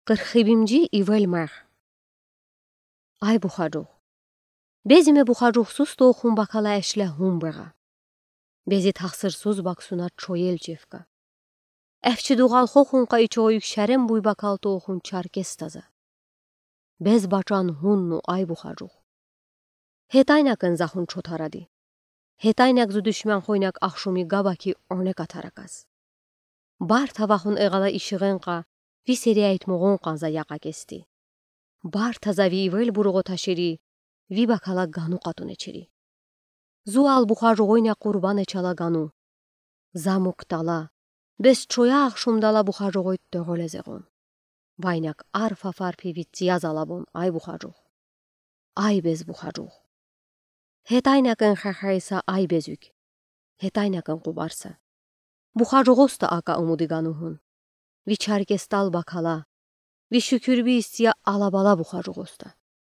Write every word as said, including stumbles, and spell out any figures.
Къырх ибимжи ивел мегь. Ай Бухаджух. Безиме Бухаджухсуз тоохун бакала эшлягьун бегъа. Бези тахсырсуз баксуна чоел чевка. Эфчи дугъал хохунка ичо уйк шерен буй бакал тоохун чаркес таза. Без бачан гьунну, ай Бухаджух. Гьетайнакын захун чотаради. Гьетайнак зу душман хойнак ахшуми габаки оне катараказ. Барта вахун эгъала ишигъенка, ви серяйтмугъун къанза якъа кести. Барта за ви ивел буругъо ташири, ви бакала гану къатунечири. Зуал Бухаджугъойна къурбанечала гану. За мук тала, без чоя ахшумдала Бухаджугъой тегъолезегъун. Вайнак арф-афар пи вицияз алабун, ай Бухаджух. Ай без Бухаджух. Гьетайнакын хахайса ай безуьк. Гьетайнакын къубарса. Бухаджугъоста ака умуди гану гьун. Ви чаркестал бакала. Ви шуькуьрби истия алабала Бухаджугъоста.